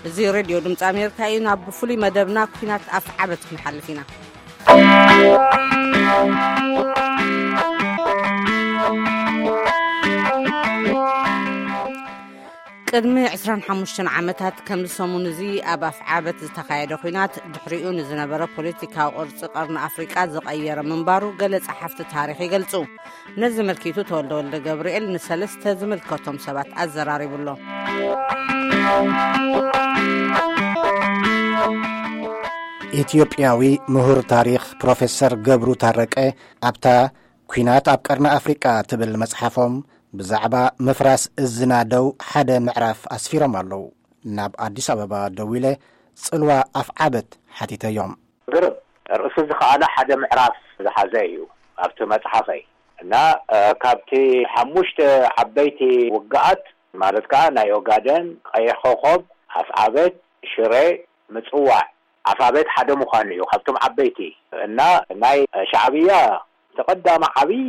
እዚ ሬድዮ ድምፂ ኣሜሪካ እዩ። ናብ ፍሉይ መደብና ኩናት ኣፍ ዓበት ክንሓልፍ ኢና። ቅድሚ ዕስራን ሓሙሽተን ዓመታት ከምዚ ሰሙን እዚ ኣብ ኣፍ ዓበት ዝተኻየደ ኩናት ድሕሪኡ ንዝነበረ ፖለቲካዊ ቅርፂ ቀርኒ ኣፍሪቃ ዝቐየረ ምንባሩ ገለ ጸሓፍቲ ታሪኽ ይገልጹ። ነዚ መልኪቱ ተወልደ ወልደ ገብርኤል ንሰለስተ ዝምልከቶም ሰባት ኣዘራሪቡ ኣሎ። ኢትዮጵያዊ ምሁር ታሪኽ ፕሮፌሰር ገብሩ ታረቀ ኣብታ ኩናት ኣብ ቀርኒ ኣፍሪቃ ትብል መጽሓፎም ብዛዕባ ምፍራስ እዚ ናደው ሓደ ምዕራፍ ኣስፊሮም ኣለዉ። ናብ ኣዲስ ኣበባ ደዊለ ጽልዋ ኣፍዓበት ሓቲተዮም። ግርም። ርእሲ እዚ ከኣ ሓደ ምዕራፍ ዝሓዘ እዩ ኣብቲ መጽሓፈይ። እና፣ እ፣ ካብቲ ሓሙሽተ ዓበይቲ ውግኣት፣ ማለት ከኣ ናይ ኦጋደን፣ ቀይሕ ኮኾብ፣ ኣፍዓበት፣ ሽረ፣ ምጽዋዕ፣ ኣፍዓበት ሓደ ምዃኑ እዩ ካብቶም ዓበይቲ። እና ናይ ሻዕብያ ተቐዳሚ ዓብዪ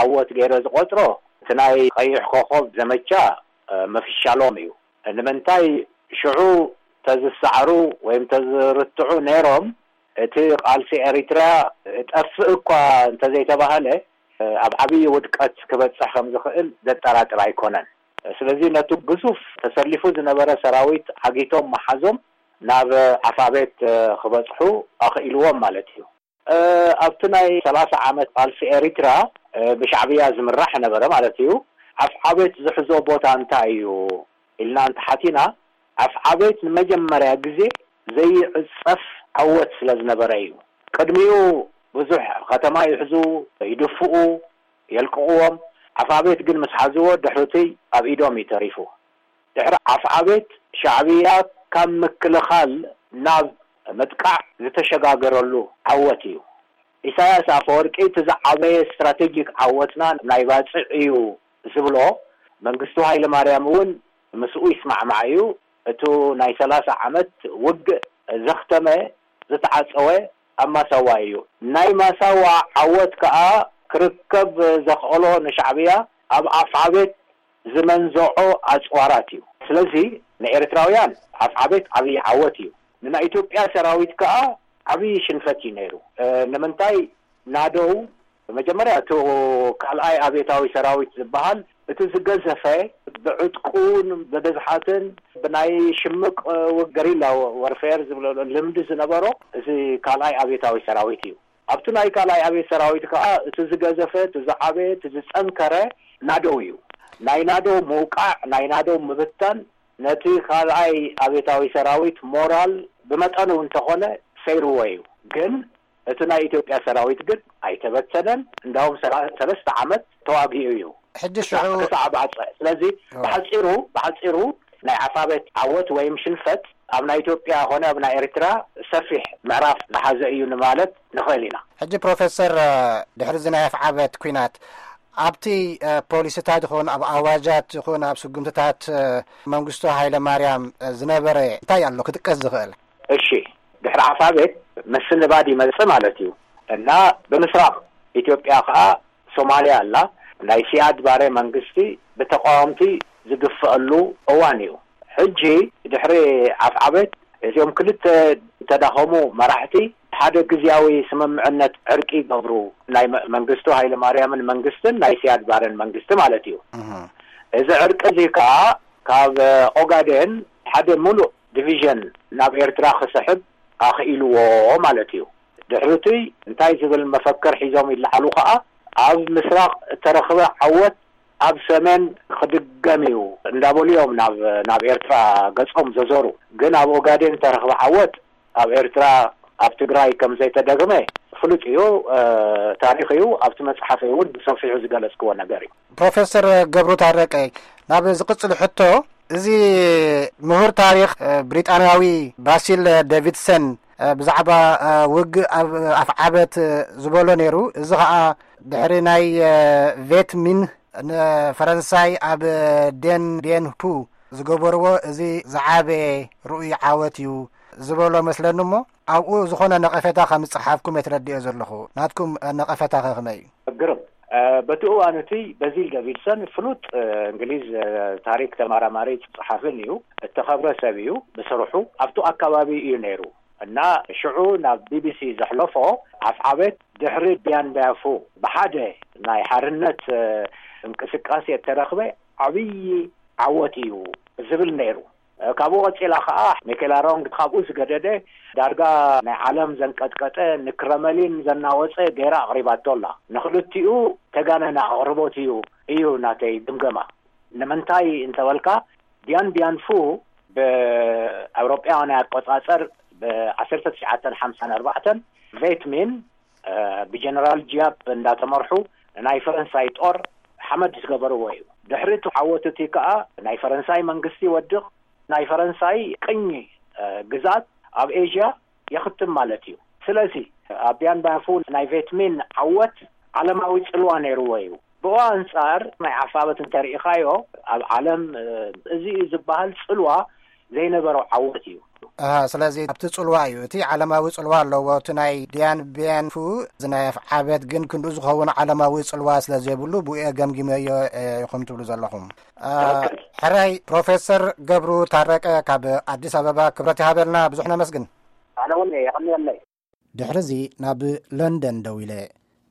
ዓወት ገይረ ዝቖጽሮ እቲ ናይ ቀይሕ ኮኾብ ዘመቻ፣ እ፣ ምፍሻሎም እዩ። ንምንታይ ሽዑ ተዝሰዕሩ ወይም ተዝርትዑ ነይሮም፣ እቲ ቃልሲ ኤሪትራ ጠፍእ እኳ እንተዘይተባህለ፣ ኣብ ዓብዪ ውድቀት ክበጽሕ ከም ዝኽእል ዘጠራጥር ኣይኮነን። ስለዚ ነቲ ግዙፍ ተሰሊፉ ዝነበረ ሰራዊት ዓጊቶም መሓዞም ናብ ዓፋቤት ክበጽሑ ኣኽኢልዎም ማለት እዩ። ኣብቲ ናይ ሰላሳ ዓመት ቃልሲ ኤሪትራ ብሻዕብያ ዝምራሕ ነበረ ማለት እዩ። ዓፍዓቤት ዝሕዞ ቦታ እንታይ እዩ ኢልና እንተሓቲና፣ ዓፍዓቤት ንመጀመርያ ግዜ ዘይዕጸፍ ዓወት ስለ ዝነበረ እዩ። ቅድሚኡ ብዙሕ ከተማ ይሕዙ፣ ይድፍኡ፣ የልቅቕዎም። ዓፍዓቤት ግን ምስ ሓዝዎ ድሕሪቲ ኣብ ኢዶም እዩ ተሪፉ። ድሕሪ ዓፍዓቤት ሻዕብያ ካብ ምክልኻል ናብ ምጥቃዕ ዝተሸጋገረሉ ዓወት እዩ። ኢሳያስ ኣፈወርቂ እቲ ዝዓበየ ስትራቴጂክ ዓወትና ናይ ባጽዕ እዩ ዝብሎ መንግስቱ ሃይለ ማርያም እውን ምስኡ ይስማዕማዕ እዩ። እቱ ናይ ሰላሳ ዓመት ውግእ ዘኽተመ፣ ዝተዓጸወ ኣብ ማሳዋ እዩ። ናይ ማሳዋ ዓወት ከኣ ክርከብ ዘኽእሎ ንሻዕብያ ኣብ ኣፍዓቤት ዝመንዘዖ ኣጽዋራት እዩ። ስለዚ ንኤርትራውያን ኣፍዓቤት ዓብዪ ዓወት እዩ። ንናይ ኢትዮጵያ ሰራዊት ከኣ ዓብዪ ሽንፈት እዩ ነይሩ። እ፣ ንምንታይ ናደው መጀመርያ እቲ ካልኣይ ኣብዮታዊ ሰራዊት ዝበሃል እቲ ዝገዘፈ ብዕጥቁን ብብዝሓትን ብናይ ሽምቅ ገሪላ ወርፌር ዝብሎ ልምዲ ዝነበሮ እዚ ካልኣይ ኣብዮታዊ ሰራዊት እዩ። ኣብቲ ናይ ካልኣይ ኣብዮት ሰራዊት ከዓ እቲ ዝገዘፈ፣ እቲ ዝዓበየ፣ እቲ ዝጸንከረ ናደው እዩ። ናይ ናደው ምውቃዕ፣ ናይ ናደው ምብታን ነቲ ካልኣይ ኣብዮታዊ ሰራዊት ሞራል ብመጠኑ እንተኾነ ሰይርዎ እዩ። ግን እቲ ናይ ኢትዮጵያ ሰራዊት ግን ኣይተበተነን። እንዳውም ሰላ-፣ ሰለስተ ዓመት ተዋጊኡ እዩ። ሕጂ ሽዑ ክሳዕ፣ ክሳዕ ባጽዕ። ስለዚ እዎ። ብሓጺሩ፣ ብሓጺሩ ናይ ዓፋበት ዓወት ወይም ሽንፈት ኣብ ናይ ኢትዮጵያ ኾነ ኣብ ናይ ኤርትራ ሰፊሕ ምዕራፍ ዝሓዘ እዩ ንማለት ንኽእል ኢና። ሕጂ ፕሮፌሰር፣ ድሕሪ እዚ ናይ ኣፍዓበት ኲናት ኣብቲ፣ እ፣ ፖሊሲታት ይኹን ኣብ ኣዋጃት ይኹን ኣብ ስጉምትታት፣ እ፣ መንግስቱ ሃይለ ማርያም፣ እ፣ ዝነበረ እንታይ ኣሎ ክጥቀስ ዝኽእል? እሺ፣ ድሕሪ ዓፋቤት ምስንባድ ይመጽእ ማለት እዩ። እና ብምስራቕ ኢትዮጵያ ኸኣ ሶማልያ ኣላ። ናይ ሲያድ ባሬ መንግስቲ ብተቃወምቲ ዝግፍአሉ እዋን እዩ። ሕጂ ድሕሪ ዓፍዓቤት እዚኦም ክልተ ዝተዳኸሙ መራሕቲ ሓደ ግዝያዊ ስምምዕነት ዕርቂ ይገብሩ። ናይ መ-፣ መንግስቱ ሃይለ ማርያምን መንግስትን ናይ ሲያድ ባረን መንግስቲ ማለት እዩ። እህ። እዚ ዕርቂ እዚ ከኣ ካብ ኦጋዴን ሓደ ሙሉእ ዲቪዥን ናብ ኤርትራ ክስሕብ ኣኽኢልዎ ማለት እዩ። ድሕሪቲ እንታይ ዝብል መፈክር ሒዞም ይለዓሉ ከኣ፣ ኣብ ምስራቕ እተረኽበ ዓወት ኣብ ሰሜን ክድገም እዩ እንዳበሉ እዮም ናብ፣ ናብ ኤርትራ ገጾም ዘዞሩ። ግን ኣብ ኦጋዴን እተረኽበ ዓወት ኣብ ኤርትራ፣ ኣብ ትግራይ ከም ዘይተደግመ ፍሉጥ እዩ፣ እ፣ ታሪኽ እዩ። ኣብቲ መጽሓፈይ እውን ብሰፊሑ ዝገለጽክዎ ነገር እዩ። ፕሮፌሰር ገብሩ ታረቀ፣ ናብ ዝቕጽል ሕቶ፣ እዚ ምሁር ታሪኽ፣ እ፣ ብሪጣንያዊ ባሲል ዴቪድሰን፣ እ፣ ብዛዕባ፣ እ፣ ውግእ ኣብ ኣፍዓበት፣ እ፣ ዝበሎ ነይሩ። እዚ ኸኣ ድሕሪ ናይ፣ እ፣ ቬት ሚን ንፈረንሳይ ኣብ ዴን ቢየን ሁ ዝገበርዎ እዚ ዝዓበየ ርኡይ ዓወት እዩ ዝበሎ መስለኒ እሞ፣ ኣብኡ ዝኾነ ነቐፌታ ከም ዝጸሓፍኩም እየ ተረዲኦ ዘለኹ። ናትኩም ነቐፌታ ከ ከመይ እዩ? ግርም። በቲ እዋን እቲ በዚል ደቪድሰን ፍሉጥ እንግሊዝ ታሪክ ተመራማሪ ጸሓፍን እዩ። እተኸብረ ሰብ እዩ። ብስርሑ ኣብቱ ኣካባቢ እዩ ነይሩ እና ሽዑ ናብ ቢቢሲ ዘሕለፎ ኣፍዓበት ድሕሪ ቢያን ባያፉ ብሓደ ናይ ሓርነት እንቅስቃሴ እተረኽበ ዓብዪ ዓወት እዩ ዝብል ነይሩ። ካብኡ ቀጺላ ከኣ ሜኬላ ሮንግ ካብኡ ዝገደደ ዳርጋ ናይ ዓለም ዘንቀጥቀጠ ንክረመሊን ዘናወጸ ገይራ ኣቕሪባቶ ኣላ። ንኽልቲኡ ተጋነነ ኣቕርቦት እዩ እዩ ናተይ ግምገማ። ንምንታይ እንተበልካ ዲያን ቢያን ፉ ብኣውሮጳውያን ኣቆጻጸር ብ1954 ቬትሚን ብጀነራል ጂያፕ እንዳተመርሑ ናይ ፈረንሳይ ጦር ሓመድ ዝገበርዎ እዩ። ድሕሪ እቲ ዓወት እቲ ከኣ ናይ ፈረንሳይ መንግስቲ ይወድቕ፣ ናይ ፈረንሳይ ቅኝ ግዛት ኣብ ኤዥያ የኽትም ማለት እዩ። ስለዚ ኣብ ቢያን ባያፉ ናይ ቬትሚን ዓወት ዓለማዊ ጽልዋ ነይርዎ እዩ። ብኡ ኣንጻር ናይ ኣፋበት እንተርኢኻዮ ኣብ ዓለም እዚ እዩ ዝበሃል ጽልዋ ዘይነበሮ ዓወት እዩ። ስለዚ ኣብቲ ጽልዋ እዩ፣ እቲ ዓለማዊ ጽልዋ ኣለዎ። እቲ ናይ ዲያን ቢያን ፉ እዚ ናይ ኣፍዓበት ግን ክንዱ ዝኸውን ዓለማዊ ጽልዋ ስለ ዘይብሉ ብኡ ገምጊመዮ ኢኹም ትብሉ ዘለኹም። ሕራይ ፕሮፌሰር ገብሩ ታረቀ ካብ ኣዲስ ኣበባ ክብረት ይሃበልና። ብዙሕ ነመስግን። ኣነ እውን የቐንየለይ። ድሕርዚ ናብ ለንደን ደው ኢለ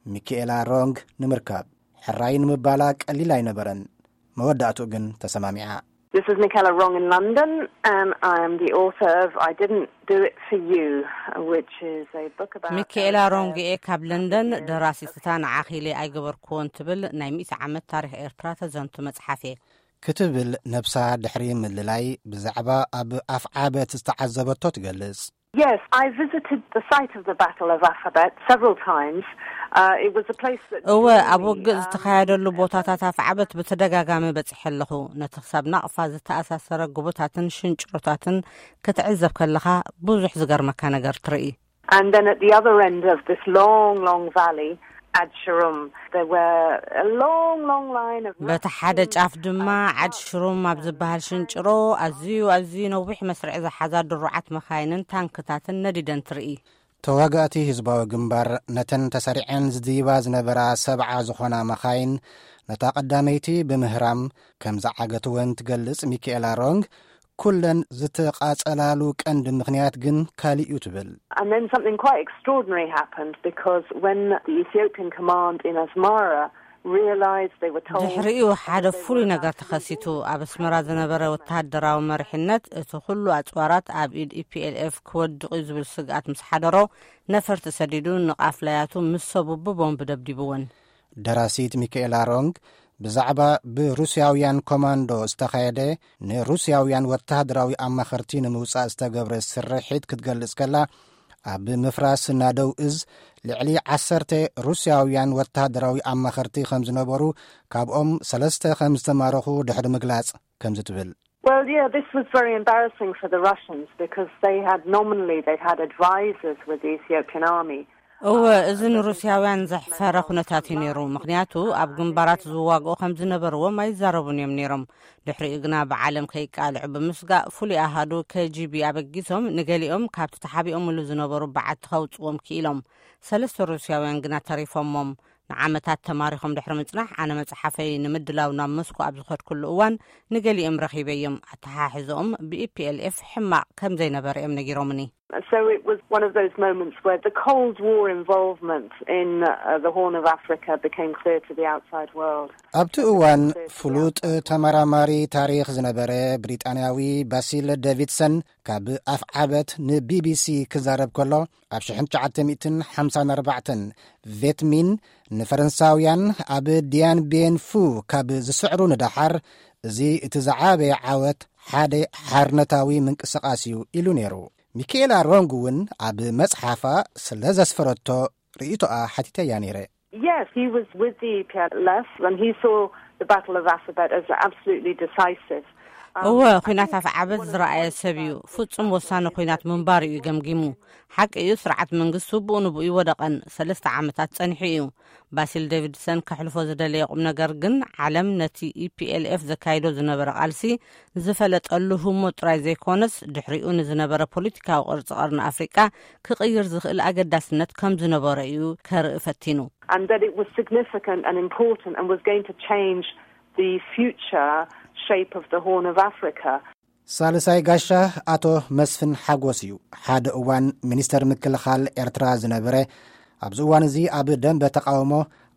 ሚካኤላ ሮንግ ንምርካብ ሕራይ ንምባላ ቀሊል ኣይነበረን። መወዳእትኡ ግን ተሰማሚዓ። This is Michaela Wrong in London, and I am the author of I Didn't Do It For You, which is a book about... ሚካኤላ ሮንግኤ ካብ ለንደን፣ ደራሲት እታ ንዓኺ ኢለ ኣይገበርክዎን ትብል ናይ ሚእቲ ዓመት ታሪኽ ኤርትራ ተዘንቱ መጽሓፍ እየ። ክትብል ነብሳ ድሕሪ ምልላይ ብዛዕባ ኣብ ኣፍዓበት ዝተዓዘበቶ ትገልጽ። Yes, I visited the site of the Battle of Afabet several times. Uh, it was a place that... እወ፣ ኣብ ውግእ ዝተኻየደሉ ቦታታት ኣፍዓበት ብተደጋጋሚ በጺሐ ኣለኹ። ነቲ ክሳብ ናቕፋ ዝተኣሳሰረ ጎቦታትን ሽንጭሮታትን ክትዕዘብ ከለኻ ብዙሕ ዝገርመካ ነገር ትርኢ። And then at the other end of this long, long valley, Ad Sharum, there were a long, long line of... በቲ ሓደ ጫፍ ድማ ዓድ ሽሩም ኣብ ዝበሃል ሽንጭሮ ኣዝዩ ኣዝዩ ነዊሕ መስርዕ ዝሓዛ ድሩዓት መኻይንን ታንክታትን ነዲደን ትርኢ። ተዋጋእቲ ህዝባዊ ግንባር ነተን ተሰሪዐን ዝድይባ ዝነበራ ሰብዓ ዝኾና መኻይን ነታ ቀዳመይቲ ብምህራም ከም ዝዓገትወን ትገልጽ ሚካኤላ ሮንግ፣ ኩለን ዝተቓጸላሉ ቀንዲ ምኽንያት ግን ካልእ እዩ ትብል። And then something quite extraordinary happened, because when the Ethiopian command in Asmara realized, they were told... ድሕሪኡ ሓደ ፍሉይ ነገር ተኸሲቱ። ኣብ ኣስመራ ዝነበረ ወተሃደራዊ መሪሕነት እቲ ኩሉ ኣጽዋራት ኣብ ኢድ ኢፒኤልኤፍ ክወድቕ እዩ ዝብል ስግኣት ምስ ሓደሮ፣ ነፈርቲ ሰዲዱ ንቓፍላያቱ ምስ ሰቡ ብቦምብ ደብዲብወን። ደራሲት ሚካኤላ ሮንግ ብዛዕባ ብሩስያውያን ኮማንዶ ዝተኻየደ ንሩስያውያን ወተሃደራዊ ኣማኸርቲ ንምውጻእ ዝተገብረ ስርሒት ክትገልጽ ከላ፣ ኣብ ምፍራስ ናደው እዝ ልዕሊ ዓሰርተ ሩስያውያን ወተሃደራዊ ኣማኸርቲ ከም ዝነበሩ፣ ካብኦም ሰለስተ ከም ዝተማረኹ ድሕሪ ምግላጽ ከምዚ ትብል። Well, yeah, this was very embarrassing for the Russians, because they had nominally, they had advisors with the Ethiopian army. እወ፣ እዚ ንሩስያውያን ዘሕፈረ ኩነታት እዩ ነይሩ። ምኽንያቱ ኣብ ግንባራት ዝዋግኡ ከም ዝነበርዎም ኣይዛረቡን እዮም ነይሮም። ድሕሪኡ ግና ብዓለም ከይቃልዑ ብምስጋእ ፍሉይ ኣሃዱ ኬጂቢ ኣበጊሶም ንገሊኦም ካብቲ ተሓቢኦምሉ ዝነበሩ በዓቲ ከውጽዎም ክኢሎም። ሰለስተ ሩስያውያን ግና ተሪፎሞም። ንዓመታት ተማሪኾም ድሕሪ ምጽናሕ፣ ኣነ መጽሓፈይ ንምድላው ናብ ሞስኮ ኣብ ዝኸድኩሉ እዋን ንገሊኦም ረኺበዮም። ኣተሓሕዝኦም ብኢፒኤልኤፍ ሕማቕ ከም ዘይነበረ እዮም ነጊሮምኒ። So it was one of those moments where the Cold War involvement in uh, the Horn of Africa became clear to the outside world. ኣብቲ እዋን ፍሉጥ ተመራማሪ ታሪኽ ዝነበረ ብሪጣንያዊ ባሲል ዴቪድሰን ካብ ኣፍዓበት ንቢቢሲ ክዛረብ ከሎ፣ ኣብ ሽሕን ትሽዓተ ሚእትን ሓምሳን ኣርባዕተን ቬትሚን ንፈረንሳውያን ኣብ ዲያን ቤን ፉ ካብ ዝስዕሩ ንደሓር፣ እዚ እቲ ዝዓበየ ዓወት ሓደ ሓርነታዊ ምንቅስቓስ እዩ ኢሉ ነይሩ። ሚካኤላ ሮንግ እውን ኣብ መጽሓፋ ስለ ዘስፈረቶ ርእይቶኣ ሓቲተያ ነይረ። Yes, he was with the E P L F and he saw the Battle of Afabet as absolutely decisive. እወ፣ ኲናት ኣፍዓበት ዝረኣየ ሰብ እዩ። ፍጹም ወሳኒ ኲናት ምንባሩ እዩ ገምጊሙ። ሓቂ እዩ፣ ስርዓት መንግስቱ ብኡ ንብኡ ይወደቐን ሰለስተ ዓመታት ጸኒሑ እዩ። ባሲል ዴቪድሰን ከሕልፎ ዝደለየ ቁም ነገር ግን፣ ዓለም ነቲ ኢ ፒ ኤል ኤፍ ዘካይዶ ዝነበረ ቃልሲ ዝፈለጠሉ ህሞት ጥራይ ዘይኮነስ፣ ድሕሪኡ ንዝነበረ ፖለቲካዊ ቅርጺ ቀርኒ ኣፍሪቃ ክቕይር ዝኽእል ኣገዳስነት ከም ዝነበሮ እዩ ከርኢ ፈቲኑ። And that it was significant and important and was going to change the future shape of the Horn of Africa. ሳልሳይ ጋሻ ኣቶ መስፍን ሓጎስ እዩ። ሓደ እዋን ሚኒስተር ምክልኻል ኤርትራ ዝነበረ፣ ኣብዚ እዋን እዚ ኣብ ደንበ ተቃውሞ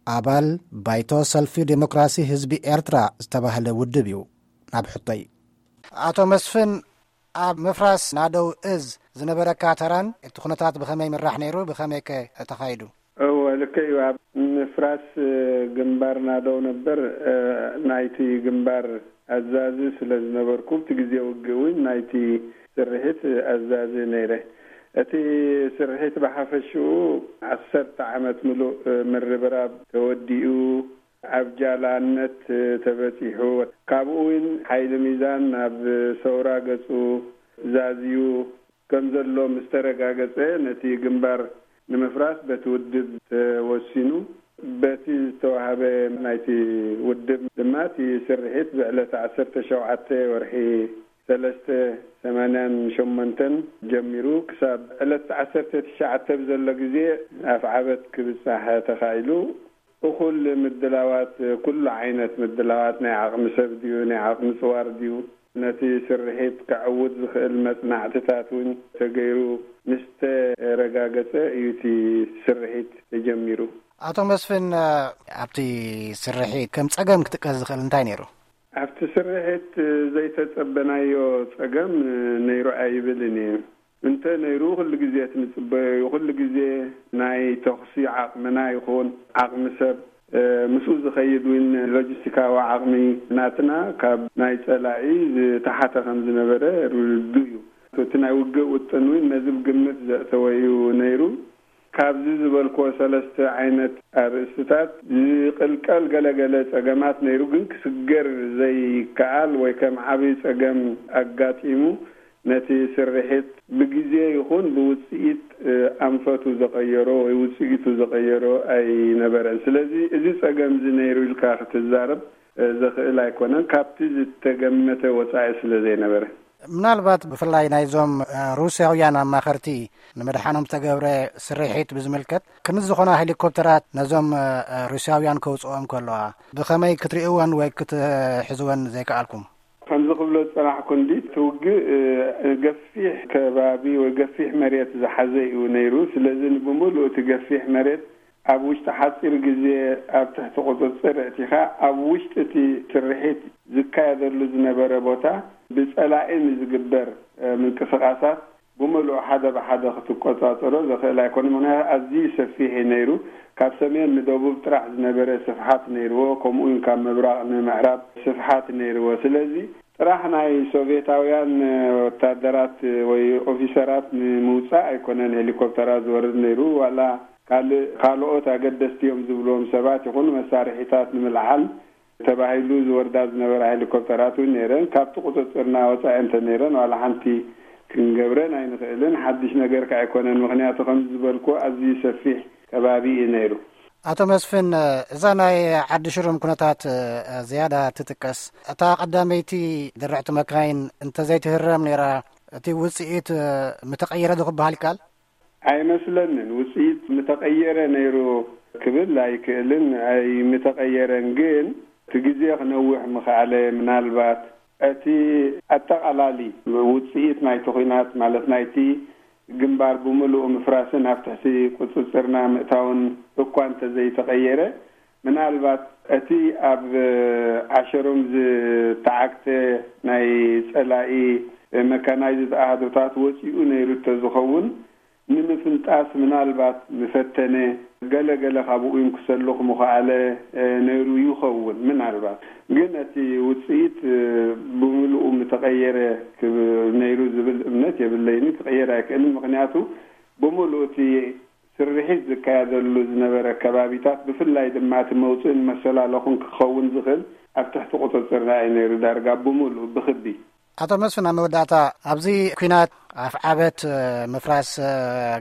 ኣባል ባይቶ ሰልፊ ዴሞክራሲ ህዝቢ ኤርትራ ዝተባህለ ውድብ እዩ። ናብ ሕቶይ፣ ኣቶ መስፍን፣ ኣብ ምፍራስ ናደው እዝ ዝነበረካ ተራን እቲ ኩነታት ብኸመይ ምራሕ ነይሩ? ብኸመይ ከ ተኻይዱ? እወ፣ ልክዕ እዩ። ኣብ ምፍራስ ግንባር ናደው ነበር ናይቲ ግንባር ኣዛዚ ስለ ዝነበርኩ፣ ብቲ ግዜ ውግእ እውን ናይቲ ስርሒት ኣዛዚ ነይረ። እቲ ስርሒት ብሓፈሽኡ ዓሰርተ ዓመት ምሉእ ምርብራብ ተወዲኡ፣ ኣብ ጃላነት ተበጺሑ፣ ካብኡ እውን ሓይሊ ሚዛን ናብ ሰውራ ገጹ ዛዝዩ ከም ዘሎ ምስ ተረጋገጸ፣ ነቲ ግንባር ንምፍራስ በቲ ውድብ ተወሲኑ። በቲ ዝተዋህበ ናይቲ ውድብ ድማ እቲ ስርሒት ብዕለት ዓሰርተ ሸውዓተ ወርሒ ሰለስተ ሰማንያን ሸሞንተን ጀሚሩ ክሳብ ዕለት ዓሰርተ ትሽዓተ ብዘሎ ግዜ ኣፍዓበት ክብጻሕ ተኻኢሉ። እኹል ምድላዋት፣ ኩሉ ዓይነት ምድላዋት፣ ናይ ዓቕሚ ሰብ ድዩ፣ ናይ ዓቕሚ ጽዋር ድዩ፣ ነቲ ስርሒት ከዕውት ዝኽእል መጽናዕትታት እውን ተገይሩ ምስ ተረጋገጸ እዩ እቲ ስርሒት ተጀሚሩ። ኣቶ መስፍን፣ ኣብቲ ስርሒት ከም ጸገም ክጥቀስ ዝኽእል እንታይ ነይሩ? ኣብቲ ስርሒት ዘይተጸበናዮ ጸገም ነይሩ ኣይብልን እየ። እንተ ነይሩ፣ ኩሉ ግዜ እቲ ንጽበዮ እዩ። ኩሉ ግዜ ናይ ተኹሲ ዓቕምና ይኹን ዓቕሚ ሰብ፣ እ፣ ምስኡ ዝኸይድ እውን ሎጂስቲካዊ ዓቕሚ ናትና ካብ ናይ ጸላኢ ዝተሓተ ከም ዝነበረ ርዱእ እዩ። እቲ ናይ ውግእ ውጥን እውን ነዚ ብግምት ዘእተወ እዩ ነይሩ። ካብዚ ዝበልክዎ ሰለስተ ዓይነት ኣርእስትታት ዝቕልቀል ገለገለ ጸገማት ነይሩ፣ ግን ክስገር ዘይከኣል ወይ ከም ዓብዪ ጸገም ኣጋጢሙ ነቲ ስርሒት ብግዜ ይኹን ብውጽኢት፣ እ፣ ኣንፈቱ ዘቐየሮ ወይ ውጽኢቱ ዘቐየሮ ኣይነበረን። ስለዚ እዚ ጸገም እዚ ነይሩ ኢልካ ክትዛረብ፣ እ፣ ዘኽእል ኣይኮነን፣ ካብቲ ዝተገመተ ወጻኢ ስለ ዘይነበረ። ምናልባት ብፍላይ ናይዞም፣ እ፣ ሩስያውያን ኣማኸርቲ ንምድሓኖም ዝተገብረ ስርሒት ብዝምልከት፣ ክንዲ ዝኾና ሄሊኮፕተራት ነዞም፣ እ፣ ሩስያውያን ከውጽኦም ከለዋ፣ ብኸመይ ክትርእይወን ወይ ክትሕዝወን ዘይከኣልኩም? ከምዚ ክብሎ ዝጸናሕኩ፣ እንዲ እቲ ውግእ፣ እ፣ ገፊሕ ከባቢ ወይ ገፊሕ መሬት ዝሓዘ እዩ ነይሩ። ስለዚ ንብምሉእ እቲ ገፊሕ መሬት ኣብ ውሽጢ ሓጺር ግዜ ኣብ ትሕቲ ቁጽጽር ኣእቲኻ፣ ኣብ ውሽጢ እቲ ስርሒት ዝካየደሉ ዝነበረ ቦታ ብጸላኢ ንዝግበር፣ እ፣ ምንቅስቓሳት ብምሉእ ሓደ ብሓደ ክትቆጻጸሮ ዘኽእል ኣይኮነን። ምኽንያቱ ኣዝዩ ሰፊሕ እዩ ነይሩ። ካብ ሰሜን ንደቡብ ጥራሕ ዝነበረ ስፍሓት ነይርዎ፣ ከምኡ እውን ካብ ምብራቕ ንምዕራብ ስፍሓት ነይርዎ። ስለዚ ጥራሕ ናይ ሶቪየታውያን ወታደራት ወይ ኦፊሰራት ንምውጻእ ኣይኮነን ሄሊኮፕተራት ዝወርድ ነይሩ፣ ዋላ ካልእ፣ ካልኦት ኣገደስቲ እዮም ዝብልዎም ሰባት ይኹኑ መሳርሒታት ንምልዓል ተባሂሉ ዝወርዳ ዝነበራ ሄሊኮፕተራት እውን ነይረን። ካብቲ ቁጽጽርና ወጻኢ እንተ ነይረን፣ ዋላ ሓንቲ ክንገብረን ኣይንኽእልን። ሓድሽ ነገር ከ ኣይኮነን፣ ምኽንያቱ ከም ዝበልኩ ኣዝዩ ሰፊሕ ከባቢ እዩ ነይሩ። ኣቶ መስፍን፣ እዛ ናይ ዓዲ ሽሩም ኩነታት፣ እ፣ ዝያዳ ትጥቀስ። እታ ቀዳመይቲ ድርዕቲ መካይን እንተዘይትህረም ነይራ፣ እቲ ውጽኢት፣ እ፣ ምተቐየረ ዶ ክበሃል ይከኣል? ኣይመስለንን። ውጽኢት ምተቐየረ ነይሩ ክብል ኣይክእልን፣ ኣይምተቐየረን። ግን እቲ ግዜ ክነውሕ ምኽኣለ። ምናልባት እቲ ኣጠቓላሊ ውጽኢት ናይቲ ኲናት፣ ማለት ናይቲ ግንባር ብምሉኡ ምፍራስን ኣብ ትሕቲ ቁጽጽርና ምእታውን እኳ እንተዘይተቐየረ፣ ምናልባት እቲ ኣብ ዓሸሩም ዝተዓግተ ናይ ጸላኢ መካናይዝድ ኣሃዱታት ወጺኡ ነይሩ እንተዝኸውን፣ ንምፍንጣስ ምናልባት ምፈተነ፣ ገለ ገለ ካብኡ እውን ክሰልኽ ምኸኣለ፣ እ፣ ነይሩ ይኸውን ምናልባት። ግን እቲ ውጽኢት፣ እ፣ ብምሉኡ ምተቐየረ ክብ-፣ ነይሩ ዝብል እምነት የብለይን። ክቕየር ኣይክእልን። ምኽንያቱ ብምሉኡ እቲ ስርሒት ዝካየደሉ ዝነበረ ከባቢታት፣ ብፍላይ ድማ እቲ መውጽእን መሰላለኹን ክኸውን ዝኽእል ኣብ ትሕቲ ቁፅፅርና እዩ ነይሩ፣ ዳርጋ ብምሉእ ብክቢ። ኣቶ መስፍን፣ ኣብ መወዳእታ፣ ኣብዚ ኲናት ኣፍዓበት፣ ምፍራስ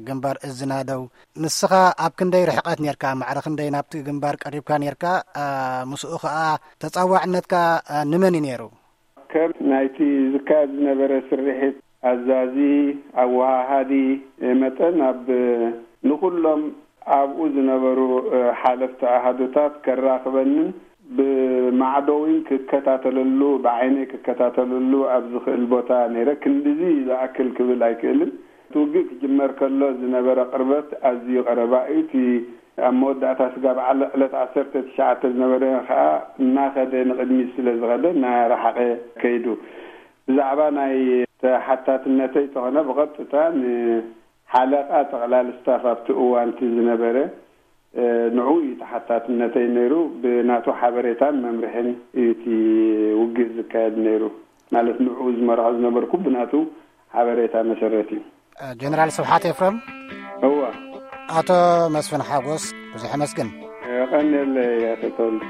ግንባር እዝናደው፣ ንስኻ ኣብ ክንደይ ርሕቀት ነርካ? ማዕረ ክንደይ ናብቲ ግንባር ቀሪብካ ነርካ? ምስኡ ኸኣ ተጻዋዕነትካ ንመን እዩ ነይሩ? ከም ናይቲ ዝካየድ ዝነበረ ስርሒት ኣዛዚ፣ ኣወሃሃዲ መጠን፣ ኣብ ንኹሎም ኣብኡ ዝነበሩ ሓለፍቲ ኣሃዱታት ከራኽበንን ብማዕዶ እውን ክከታተለሉ፣ ብዓይነይ ክከታተለሉ ኣብ ዝኽእል ቦታ ነይረ። ክንድዚ ዝኣክል ክብል ኣይክእልን። እቲ ውግእ ክጅመር ከሎ ዝነበረ ቅርበት ኣዝዩ ቀረባ እዩ። እቲ ኣብ መወዳእታ ስጋብ ዓለ-፣ ዕለት ዓሰርተ ትሽዓተ ዝነበረ ኸኣ እናኸደ ንቕድሚት ስለ ዝኸደ እናረሓቐ ከይዱ። ብዛዕባ ናይ ተሓታትነተይ ተኾነ ብቐጥታ ንሓለቓ ጠቕላል ስታፍ ኣብቲ እዋን እቲ ዝነበረ፣ እ፣ ንዕኡ እዩ ተሓታትነተይ ነይሩ። ብናቱ ሓበሬታን መምርሕን እዩ እቲ ውግእ ዝካየድ ነይሩ። ማለት ንዕኡ ዝመርሖ ዝነበርኩ ብናቱ ሓበሬታ መሰረት እዩ። ጀነራል ስብሓት ኤፍረም። እወ። ኣቶ መስፍን ሓጎስ፣ ብዙሕ ኣመስግን። የቐንየለይ ኣቶ ተወልደ።